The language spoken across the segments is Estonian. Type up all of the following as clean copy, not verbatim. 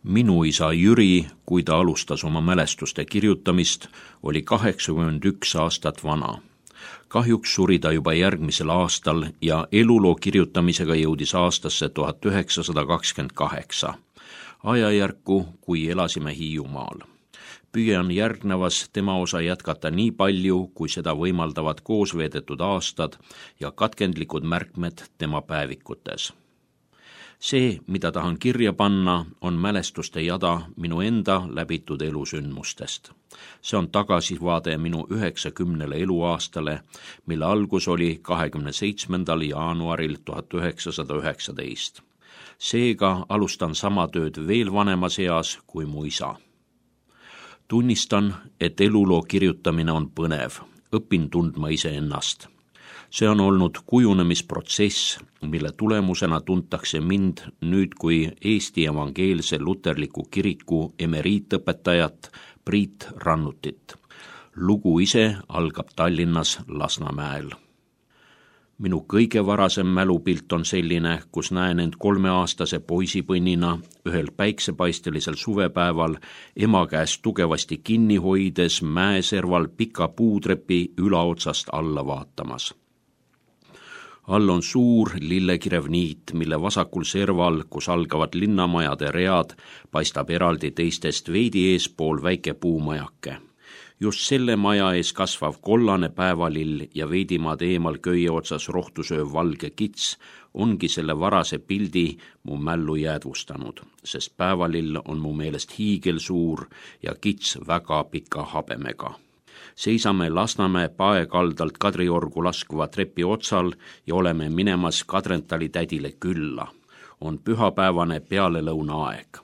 Minu isa Jüri, kui ta alustas oma mälestuste kirjutamist, oli 81 aastat vana. Kahjuks suri ta juba järgmisel aastal ja eluloo kirjutamisega jõudis aastasse 1928, ajajärku, kui elasime Hiiumaal. Püüan järgnevas tema osa jätkata nii palju, kui seda võimaldavad koos veedetud aastad ja katkendlikud märkmed tema päevikutes. See, mida tahan kirja panna, on mälestuste jada minu enda läbitud elusündmustest. See on tagasivaade minu 90 eluaastale, mille algus oli 27. jaanuaril 1919. Seega alustan sama tööd veel vanemas eas kui mu isa. Tunnistan, et eluloo kirjutamine on põnev, õpin tundma iseennast. See on olnud kujunemisprotsess, mille tulemusena tuntakse mind nüüd kui Eesti Evangeelse Luterliku Kiriku emeriitõpetajat Priit Rannutit. Lugu ise algab Tallinnas Lasnamäel. Minu kõige varasem mälupilt on selline, kus näen end 3-aastase poisipõnnina ühel päiksepaistelisel suvepäeval ema käest tugevasti kinni hoides mäeserval pika puutrepi ülaotsast alla vaatamas. All on suur lillekirev niit, mille vasakul serval, kus algavad linnamajade read, paistab eraldi teistest veidi eespool väike puumajake. Just selle maja ees kasvav kollane päevalill ja veidimaad eemal köie otsas rohtusööv valge kits ongi selle varase pildi mu mällu jäädvustanud, sest päevalill on mu meelest hiigelsuur ja kits väga pika habemega. Seisame Lasnamäe paekaldalt Kadriorgu laskuva trepi otsal ja oleme minemas Kadrentali tädile külla. On pühapäevane pealelõuna aeg.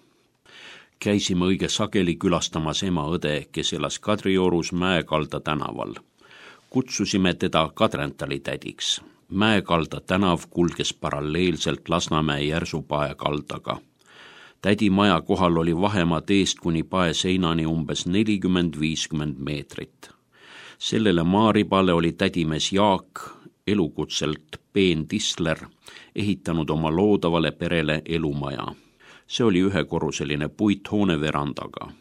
Käisime õige sageli külastamas ema õde, kes elas Kadriorus Mäekalda tänaval. Kutsusime teda Kadrentali tädiks. Mäekalda tänav kulges paralleelselt Lasnamäe järsu paekaldaga. Tädi maja kohal oli vahemaa teest kuni pae seinani umbes 40-50 meetrit. Sellele maaribale oli tädimees Jaak, elukutselt Peen Tisler, ehitanud oma loodavale perele elumaja. See oli ühekorruseline puithoone verandaga.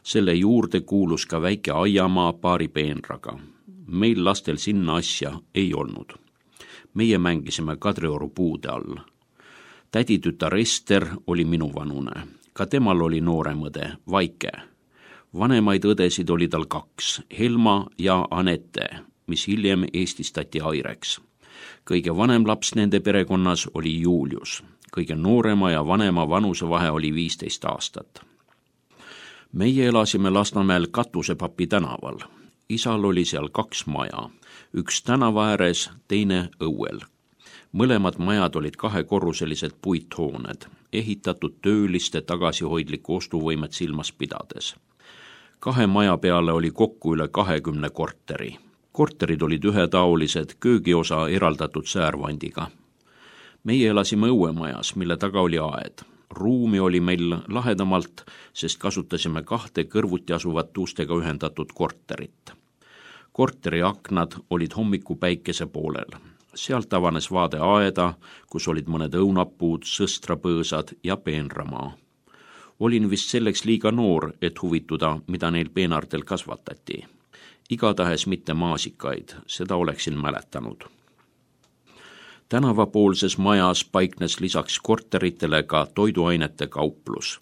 Selle juurde kuulus ka väike aiamaa paari peenraga. Meil lastel sinna asja ei olnud. Meie mängisime Kadrioru puude all. Täditütar Ester oli minuvanune. Ka temal oli noorem õde, Vaike. Vanemaid õdesid oli tal 2, Helma ja Anette, mis hiljem eestistati Aireks. Kõige vanem laps nende perekonnas oli Julius. Kõige noorema ja vanema vanusevahe oli 15 aastat. Meie elasime Lasnamäel Katusepapi tänaval. Isal oli seal 2 maja, üks tänava ääres, teine õuel. Mõlemad majad olid 2-korruselised puithooned, ehitatud tööliste tagasihoidliku ostuvõimet silmas pidades. 2 maja peale oli kokku üle 20 korteri. Korterid olid ühetaolised, köögiosa eraldatud säärvandiga. Meie elasime õuemajas, mille taga oli aed. Ruumi oli meil lahedamalt, sest kasutasime 2 kõrvuti asuvat ustega ühendatud korterit. Korteri aknad olid hommikupäikese poolel. Sealt avanes vaade aeda, kus olid mõned õunapuud, sõstrapõõsad ja peenramaa. Olin vist selleks liiga noor, et huvituda, mida neil peenartel kasvatati. Igatahes mitte maasikaid, seda oleksin mäletanud. Tänavapoolses majas paiknes lisaks korteritele ka toiduainete kauplus.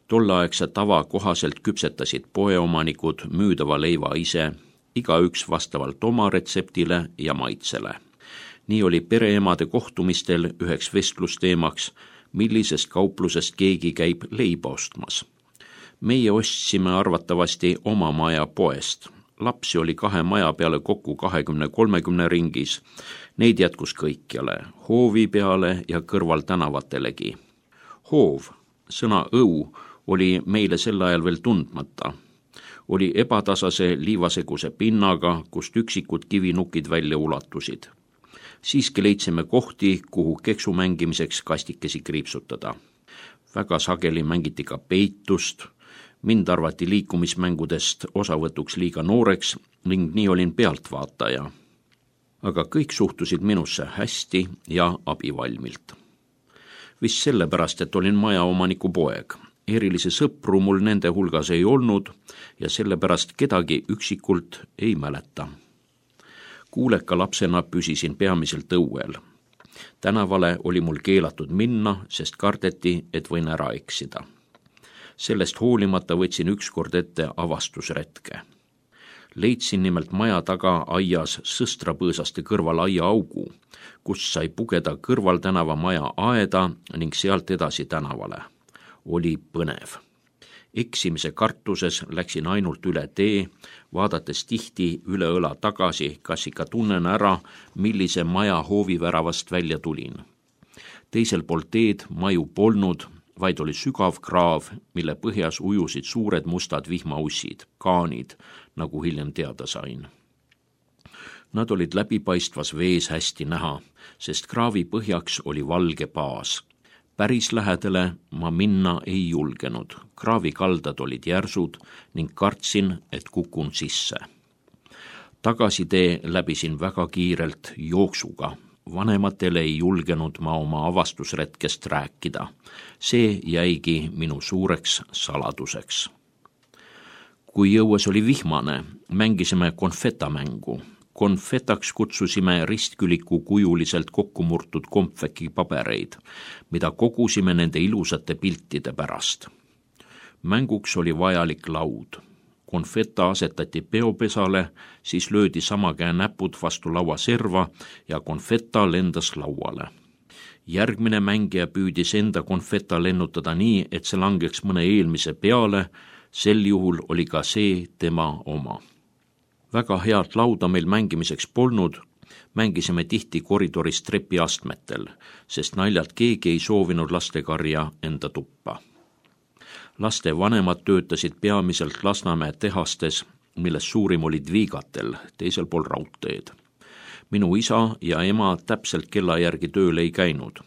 Tolleaegse tava kohaselt küpsetasid poeomanikud müüdava leiva ise, igaüks vastavalt oma retseptile ja maitsele. Nii oli pereemade kohtumistel üheks vestlusteemaks, millisest kauplusest keegi käib leiba ostmas. Meie ostsime arvatavasti oma maja poest. Lapsi oli 2 maja peale kokku 20-30 ringis. Neid jätkus kõikjale, hoovi peale ja kõrval tänavatelegi. Hoov, sõna õu, oli meile sel ajal veel tundmata. Oli ebatasase liivaseguse pinnaga, kust üksikud kivinukid välja ulatusid. Siiski leidsime kohti, kuhu keksu mängimiseks kastikesi kriipsutada. Väga sageli mängiti ka peitust. Mind arvati liikumismängudest osavõtuks liiga nooreks ning nii olin pealtvaataja. Aga kõik suhtusid minusse hästi ja abivalmilt. Vist sellepärast, et olin majaomaniku poeg. Erilisi sõpru mul nende hulgas ei olnud ja sellepärast kedagi üksikult ei mäleta. Kuuleka lapsena püsisin peamiselt õuel. Tänavale oli mul keelatud minna, sest kardeti, et võin ära eksida. Sellest hoolimata võtsin ükskord ette avastusretke. Leidsin nimelt maja taga aias sõstrapõõsaste kõrval aiaaugu, kust sai pugeda kõrvaltänava maja aeda ning sealt edasi tänavale. Oli põnev. Eksimise kartuses läksin ainult üle tee, vaadates tihti üle õla tagasi, kas ikka tunnen ära, millise maja hooviväravast välja tulin. Teisel pool teed maju polnud, vaid oli sügav kraav, mille põhjas ujusid suured mustad vihmaussid, kaanid, nagu hiljem teada sain. Nad olid läbipaistvas vees hästi näha, sest kraavi põhjaks oli valge baas. Päris lähedale ma minna ei julgenud. Kraavi kaldad olid järsud ning kartsin, et kukun sisse. Tagasitee läbisin väga kiirelt jooksuga. Vanematele ei julgenud ma oma avastusretkest rääkida. See jäigi minu suureks saladuseks. Kui jõues oli vihmane, mängisime konfetamängu. Konfetaks kutsusime ristküliku kujuliselt kokkumurtud kompveki pabereid, mida kogusime nende ilusate piltide pärast. Mänguks oli vajalik laud. Konfeta asetati peopesale, siis löödi sama käe näpud vastu laua serva ja konfeta lendas lauale. Järgmine mängija püüdis enda konfeta lennutada nii, et see langeks mõne eelmise peale, sel juhul oli ka see tema oma. Väga head lauda meil mängimiseks polnud, mängisime tihti koridoris trepiastmetel, sest naljalt keegi ei soovinud lastekarja enda tuppa. Laste vanemad töötasid peamiselt Lasnamäe tehastes, milles suurim olid Viigatel, teisel pool raudteed. Minu isa ja ema täpselt kella järgi tööl ei käinud.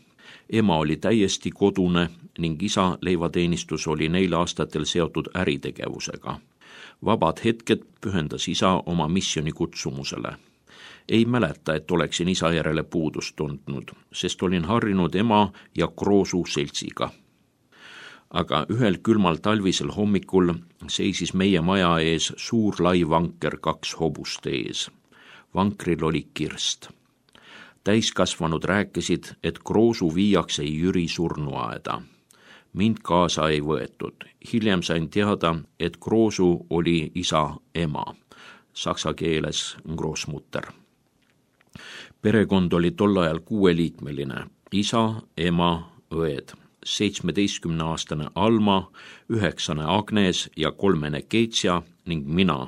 Ema oli täiesti kodune ning isa leivateenistus oli neil aastatel seotud äritegevusega. Vabad hetked pühendas isa oma missioni kutsumusele. Ei mäleta, et oleksin isa järele puudust tundnud, sest olin harjunud ema ja Kroosu seltsiga. Aga ühel külmal talvisel hommikul seisis meie maja ees suur lai vanker 2 hobust ees. Vankril oli kirst. Täiskasvanud rääkisid, et Kroosu viiakse Jüri surnuaeda. Mind kaasa ei võetud. Hiljem sain teada, et Kroosu oli isa ema, saksa keeles Großmutter. Perekond oli tol ajal 6-liikmeline, isa, ema, õed, 17-aastane Alma, 9 Agnes ja 3 Keitsja ning mina,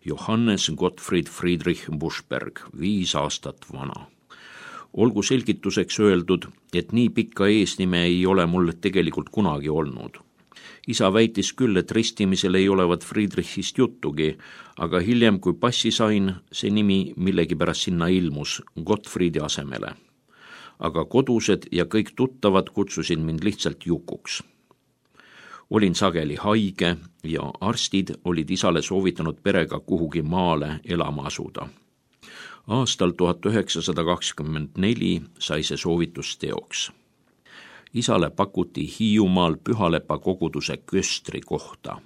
Johannes Gottfried Friedrich Buschberg, 5 aastat vana. Olgu selgituseks öeldud, et nii pikka eesnime ei ole mul tegelikult kunagi olnud. Isa väitis küll, et ristimisel ei olevat Friedrichist juttugi, aga hiljem, kui passi sain, see nimi millegipärast sinna ilmus Gottfriedi asemele. Aga kodused ja kõik tuttavad kutsusid mind lihtsalt Jukuks. Olin sageli haige ja arstid olid isale soovitanud perega kuhugi maale elama asuda. Aastal 1924 sai see soovitus teoks. Isale pakuti Hiiumaal Pühalepa koguduse köstri kohta.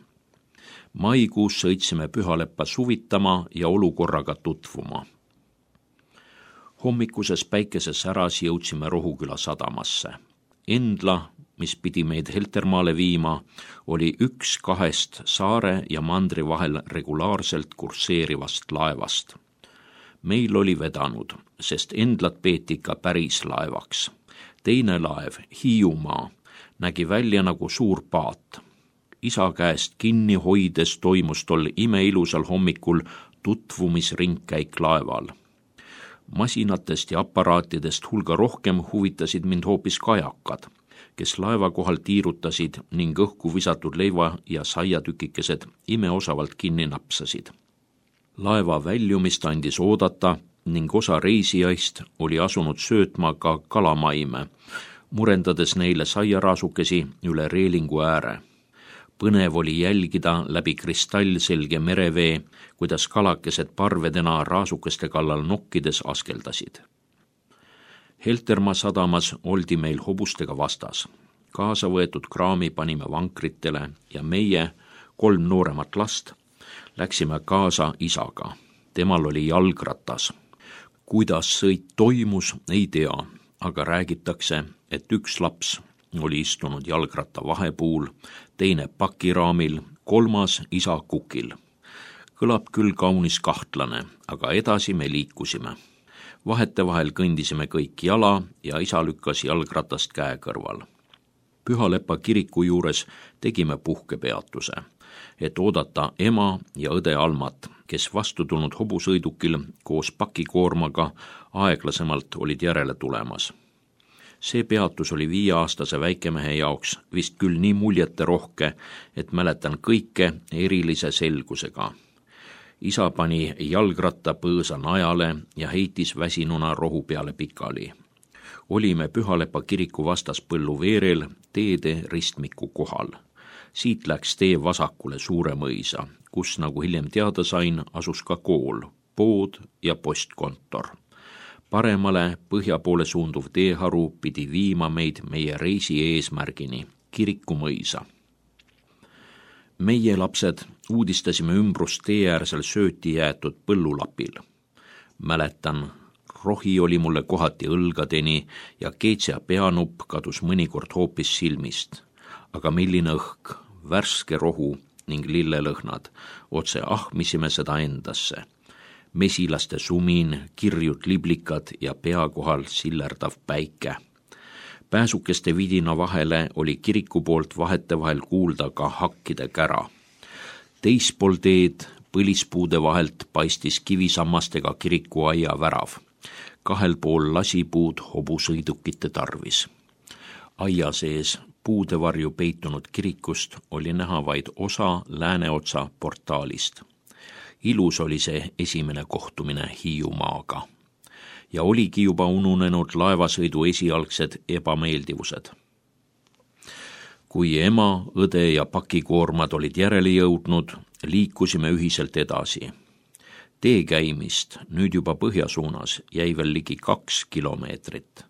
Maikuus sõitsime Pühaleppa suvitama ja olukorraga tutvuma. Hommikuses päikeses säras jõudsime Rohuküla sadamasse. Endla, mis pidi meid Heltermaale viima, oli 1 2 saare ja mandri vahel regulaarselt kursseerivast laevast. Meil oli vedanud, sest Endlat peeti ikka päris laevaks. Teine laev, Hiiumaa, nägi välja nagu suur paat. Isa käest kinni hoides toimus tol imeilusal hommikul tutvumisringkäik laeval. Masinatest ja aparaatidest hulga rohkem huvitasid mind hoopis kajakad, kes laeva kohal tiirutasid ning õhku visatud leiva ja saiatükikesed imeosavalt kinni napsasid. Laeva väljumist andis oodata ning osa reisijaist oli asunud söötma ka kalamaime, murendades neile saiaraasukesi üle reelingu ääre. Põnev oli jälgida läbi kristallselge merevee, kuidas kalakesed parvedena raasukeste kallal nokkides askeldasid. Heltermaa sadamas oldi meil hobustega vastas. Kaasa võetud kraami panime vankritele ja meie, 3 nooremat last, läksime kaasa isaga. Temal oli jalgratas. Kuidas sõit toimus, ei tea, aga räägitakse, et üks laps oli istunud jalgratta vahepuul, teine pakiraamil, 3 isa kukil. Kõlab küll kaunis kahtlane, aga edasi me liikusime. Vahetevahel kõndisime kõik jala ja isa lükkas jalgratast käe kõrval. Pühalepa kiriku juures tegime puhkepeatuse, et oodata ema ja õde Almat, kes vastu tulnud hobusõidukil koos pakikoormaga aeglasemalt olid järele tulemas. See peatus oli 5-aastase väikemehe jaoks vist küll nii muljeterohke, et mäletan kõike erilise selgusega. Isa pani jalgratta põõsa najale ja heitis väsinuna rohu peale pikali. Olime Pühalepa kiriku vastas põlluveerel teede ristmiku kohal. Siit läks tee vasakule suure mõisa, kus, nagu hiljem teada sain, asus ka kool, pood ja postkontor. Paremale põhja poole suunduv teeharu pidi viima meid meie reisi eesmärgini, kiriku mõisa. Meie lapsed uudistasime ümbrust teeäärsel sööti jäetud põllulapil. Mäletan, rohi oli mulle kohati õlgadeni ja keetsea peanupp kadus mõnikord hoopis silmist. Aga milline õhk, värske rohu ning lillelõhnad, otse ahmisime seda endasse. Mesilaste sumin, kirjud liblikad ja pea kohal sillerdav päike. Pääsukeste vidina vahele oli kiriku poolt vahetevahel kuulda ka hakkide kära. Teispool teed põlispuude vahelt paistis kivisammastega kiriku aia värav. 2 pool lasipuud hobusõidukite tarvis. Aia sees puudevarju peitunud kirikust oli näha vaid osa lääneotsa portaalist. Ilus oli see esimene kohtumine Hiiumaaga. Ja oligi juba ununenud laevasõidu esialgsed ebameeldivused. Kui ema, õde ja pakikoormad olid järele jõudnud, liikusime ühiselt edasi. Tee käimist, nüüd juba põhja suunas, jäi veel ligi 2 kilomeetrit.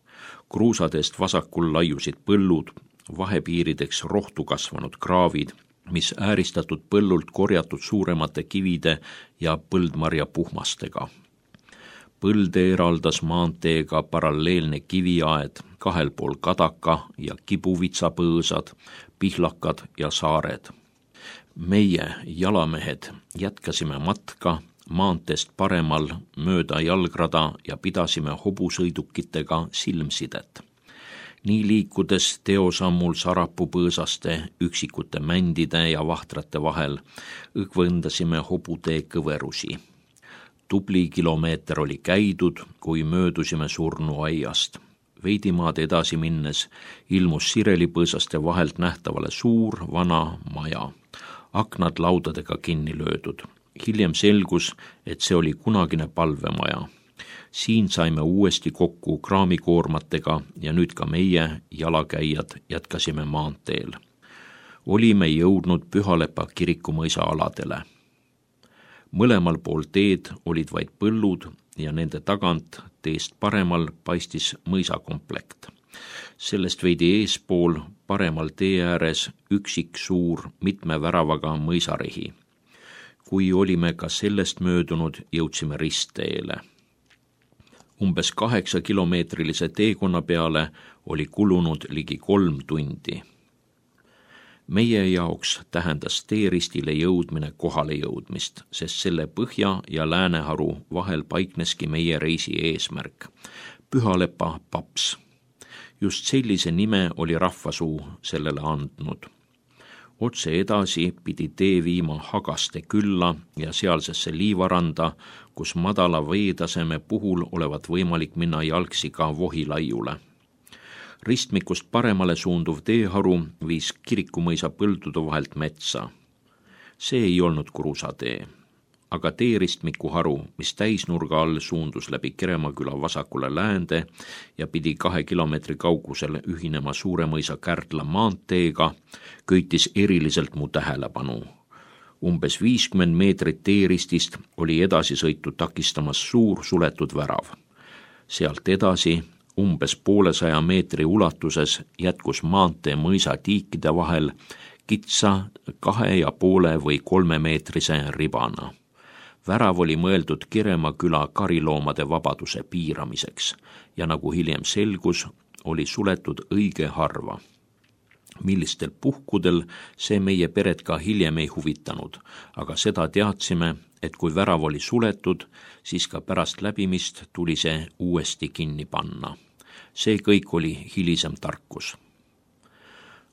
Kruusadest vasakul laiusid põllud, vahepiirideks rohtu kasvanud kraavid, mis ääristatud põllult korjatud suuremate kivide ja põldmarja puhmastega. Põlde eraldas maanteega paralleelne kiviaed, 2 pool kadaka ja kibuvitsapõõsad, pihlakad ja saared. Meie, jalamehed, jätkasime matka maanteest paremal mööda jalgrada ja pidasime hobusõidukitega silmsidet. Nii liikudes teosammul sarapupõõsaste, üksikute mändide ja vahtrate vahel õgvõndasime hobutee kõverusi. Tubli kilomeeter oli käidud, kui möödusime surnuaiast. Veidimaad edasi minnes ilmus sirelipõõsaste vahelt nähtavale suur vana maja. Aknad laudadega kinni löödud. Hiljem selgus, et see oli kunagine palvemaja. Siin saime uuesti kokku kraamikoormatega ja nüüd ka meie, jalakäijad, jätkasime maanteel. Olime jõudnud Pühalepa kirikumõisa aladele. Mõlemal pool teed olid vaid põllud ja nende tagant teest paremal paistis mõisakomplekt. Sellest veidi eespool paremal tee ääres üksik suur mitme väravaga mõisarehi. Kui olime ka sellest möödunud, jõudsime ristteele. Umbes 8-kilomeetrilise teekonna peale oli kulunud ligi 3 tundi. Meie jaoks tähendas teeristile jõudmine kohale jõudmist, sest selle põhja ja lääneharu vahel paikneski meie reisi eesmärk. Pühalepa paps. Just sellise nime oli rahvasuu sellele andnud. Otse edasi pidi tee viima Hagaste külla ja sealsesse liivaranda, kus madala veetaseme puhul olevat võimalik minna jalgsi ka Vohilaiule. Ristmikust paremale suunduv teeharu viis kirikumõisa põldude vahelt metsa. See ei olnud kruusatee, aga teeristmiku haru, mis täisnurga all suundus läbi Keremaküla vasakule läände ja pidi 2 kilomeetri kaugusel ühinema Suuremõisa Kärdla maanteega, köitis eriliselt mu tähelepanu. Umbes 50 meetrit teeristist oli edasisõitu takistamas suur suletud värav. Sealt edasi Umbes 100 meetri ulatuses jätkus maantee mõisa tiikide vahel kitsa 2,5 või 3 meetrise ribana. Värav oli mõeldud Kirema küla kariloomade vabaduse piiramiseks ja nagu hiljem selgus, oli suletud õige harva. Millistel puhkudel see meie peret ka hiljem ei huvitanud, aga seda teadsime, et kui värav oli suletud, siis ka pärast läbimist tuli see uuesti kinni panna. See kõik oli hilisem tarkus.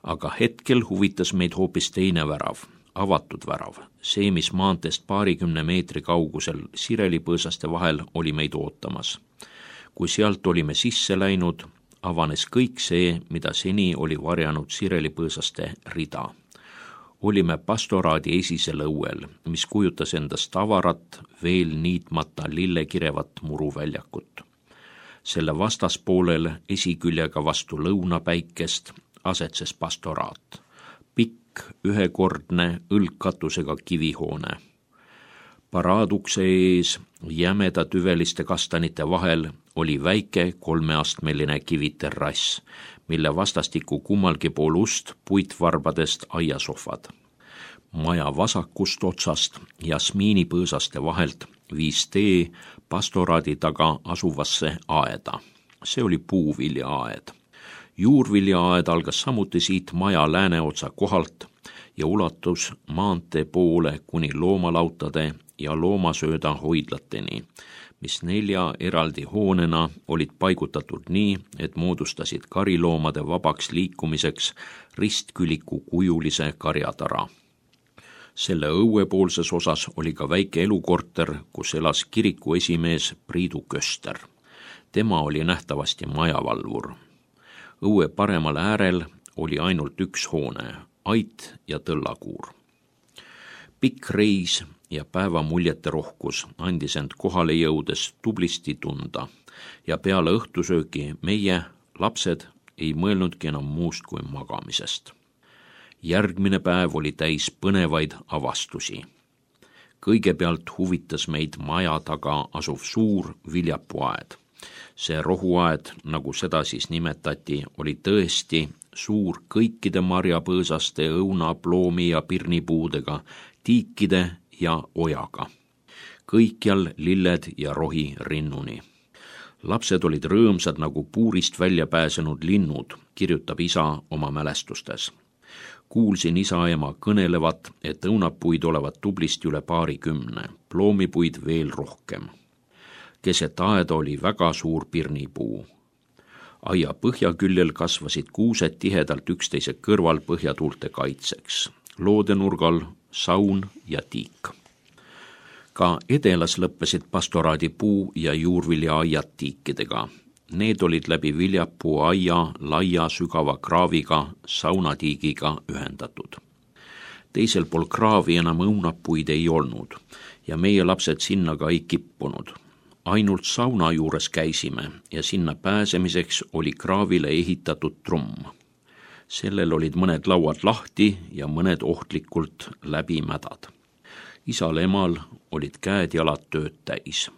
Aga hetkel huvitas meid hoopis teine värav, avatud värav. See, mis maanteest 20 meetri kaugusel sirelipõõsaste vahel oli meid ootamas. Kui sealt olime sisse läinud, avanes kõik see, mida seni oli varjanud sirelipõõsaste rida. Olime pastoraadi esisel õuel, mis kujutas endast avarat, veel niitmata lillekirevat muruväljakut. Selle vastaspoolel esiküljega vastu lõunapäikest asetses pastoraat. Pikk, ühekordne õlgkatusega kivihoone. Paraadukse ees jämeda tüveliste kastanite vahel oli väike 3-astmeline kiviterrass, mille vastastikku kummalgi pool ust puitvarbadest aiasohvad. Maja vasakust otsast jasmiinipõõsaste vahelt viis tee pastoraadi taga asuvasse aeda. See oli puuviljaaed. Juurviljaaed algas samuti siit maja lääneotsa kohalt ja ulatus maantee poole kuni loomalautade ja loomasööda hoidlateni, mis 4 eraldi hoonena olid paigutatud nii, et moodustasid kariloomade vabaks liikumiseks ristküliku kujulise karjatara. Selle õuepoolses osas oli ka väike elukorter, kus elas kiriku esimees Priidu Köster. Tema oli nähtavasti majavalvur. Õue paremal äärel oli ainult üks hoone, ait ja tõllakuur. Pikk reis ja päeva muljete rohkus andis end kohale jõudes tublisti tunda ja peale õhtusöögi meie, lapsed, ei mõelnudki enam muust kui magamisest. Järgmine päev oli täis põnevaid avastusi. Kõigepealt huvitas meid maja taga asuv suur viljapuaed. See rohuaed, nagu seda siis nimetati, oli tõesti suur kõikide marjapõõsaste, õuna, ploomi ja pirnipuudega, tiikide ja ojaga. Kõikjal lilled ja rohi rinnuni. Lapsed olid rõõmsad nagu puurist välja pääsenud linnud, kirjutab isa oma mälestustes. Kuulsin isa-ema kõnelevat, et õunapuid olevat tublisti üle 20, ploomipuid veel rohkem. Keset aeda oli väga suur pirnipuu. Aia põhjaküljel kasvasid kuused tihedalt üksteise kõrval põhjatuulte kaitseks. Loodenurgal saun ja tiik. Ka edelas lõppesid pastoraadi puu- ja juurviljaaiad tiikidega. Need olid läbi viljapuu aia laia sügava kraaviga saunatiigiga ühendatud. Teisel pool kraavi enam õunapuid ei olnud ja meie lapsed sinna ka ei kippunud. Ainult sauna juures käisime ja sinna pääsemiseks oli kraavile ehitatud trumm. Sellel olid mõned lauad lahti ja mõned ohtlikult läbimädad. Isal-emal olid käed-jalad tööd täis.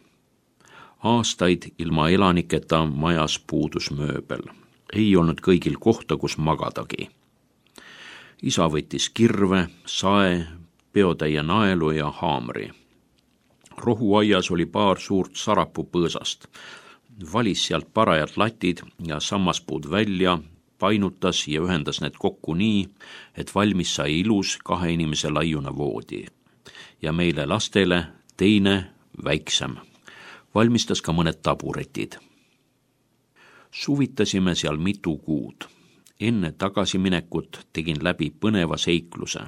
Aastaid ilma elaniketa majas puudus mööbel. Ei olnud kõigil kohta, kus magadagi. Isa võttis kirve, sae, peotäie naelu ja haamri. Rohuaias oli paar suurt sarapupõõsast. Valis sealt parajad latid ja sammaspuud välja, painutas ja ühendas need kokku nii, et valmis sai ilus 2 inimese laiuna voodi. Ja meile lastele teine, väiksem. Valmistas ka mõned taburetid. Suvitasime seal mitu kuud. Enne tagasiminekut tegin läbi põneva seikluse.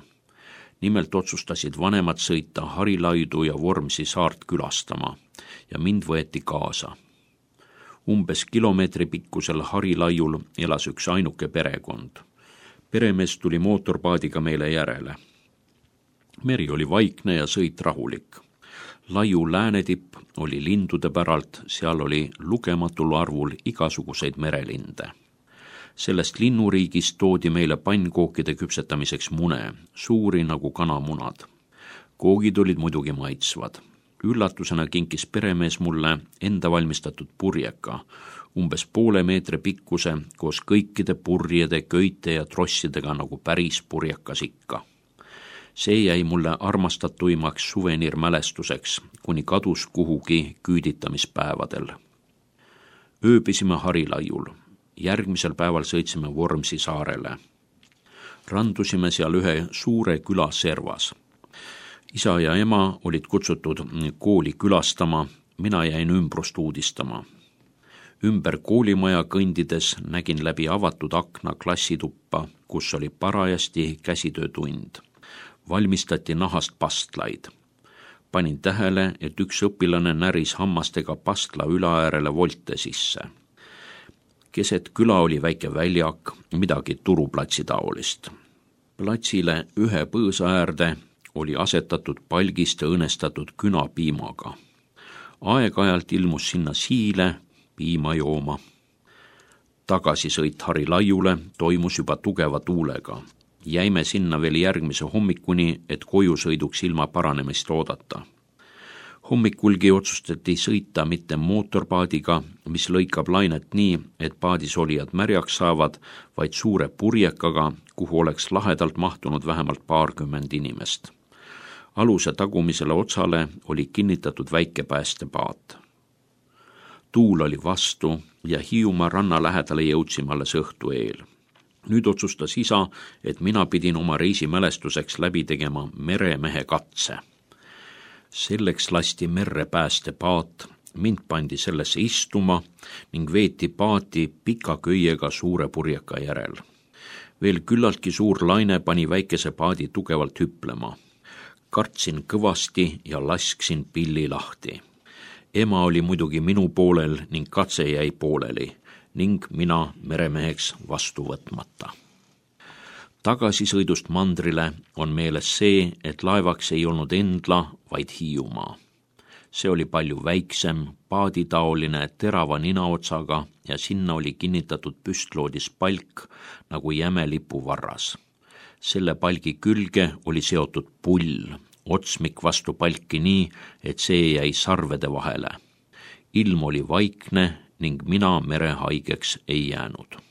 Nimelt otsustasid vanemad sõita Harilaidu ja Vormsi saart külastama ja mind võeti kaasa. Umbes kilomeetri pikkusel Harilaiul elas üks ainuke perekond. Peremees tuli mootorpaadiga meile järele. Meri oli vaikne ja sõit rahulik. Laiu läänetipp oli lindude päralt, seal oli lugematul arvul igasuguseid merelinde. Sellest linnuriigist toodi meile pannkookide küpsetamiseks mune, suuri nagu kanamunad. Koogid olid muidugi maitsvad. Üllatusena kinkis peremees mulle enda valmistatud purjeka, umbes poole meetri pikkuse koos kõikide purjede, köite ja trossidega nagu päris purjekas ikka. See jäi mulle armastatuimaks suveniirmälestuseks, kuni kadus kuhugi küüditamispäevadel. Ööbisime Harilaiul. Järgmisel päeval sõitsime Vormsi saarele. Randusime seal ühe suure küla servas. Isa ja ema olid kutsutud kooli külastama, mina jäin ümbrust uudistama. Ümber koolimaja kõndides nägin läbi avatud akna klassituppa, kus oli parajasti käsitöötund. Valmistati nahast pastlaid. Panin tähele, et üks õpilane näris hammastega pastla ülaäärele volte sisse. Keset küla oli väike väljak, midagi turuplatsi taolist. Platsile ühe põõsa äärde oli asetatud palgist õõnestatud künapiimaga. Aeg-ajalt ilmus sinna siile piima jooma. Tagasisõit Harilaiule toimus juba tugeva tuulega. Jäime sinna veel järgmise hommikuni, et koju sõiduks ilma paranemist oodata. Hommikulgi otsustati sõita mitte mootorpaadiga, mis lõikab lainet nii, et paadis olijad märjaks saavad, vaid suure purjekaga, kuhu oleks lahedalt mahtunud vähemalt 20 inimest. Aluse tagumisele otsale oli kinnitatud väike päästepaat. Tuul oli vastu ja Hiiumaa ranna lähedale jõudsime alles õhtu eel. Nüüd otsustas isa, et mina pidin oma reisimälestuseks läbi tegema meremehe katse. Selleks lasti merre päästepaat, mind pandi sellesse istuma ning veeti paati pika köiega suure purjeka järel. Veel küllaltki suur laine pani väikese paadi tugevalt hüplema. Kartsin kõvasti ja lasksin pilli lahti. Ema oli muidugi minu poolel ning katse jäi pooleli ning mina meremeheks vastu võtmata. Tagasisõidust mandrile on meeles see, et laevaks ei olnud Endla, vaid Hiiumaa. See oli palju väiksem, paaditaoline, terava ninaotsaga ja sinna oli kinnitatud püstloodis palk nagu jämelipu varras. Selle palgi külge oli seotud pull, otsmik vastu palki nii, et see jäi sarvede vahele. Ilm oli vaikne ning mina merehaigeks ei jäänud.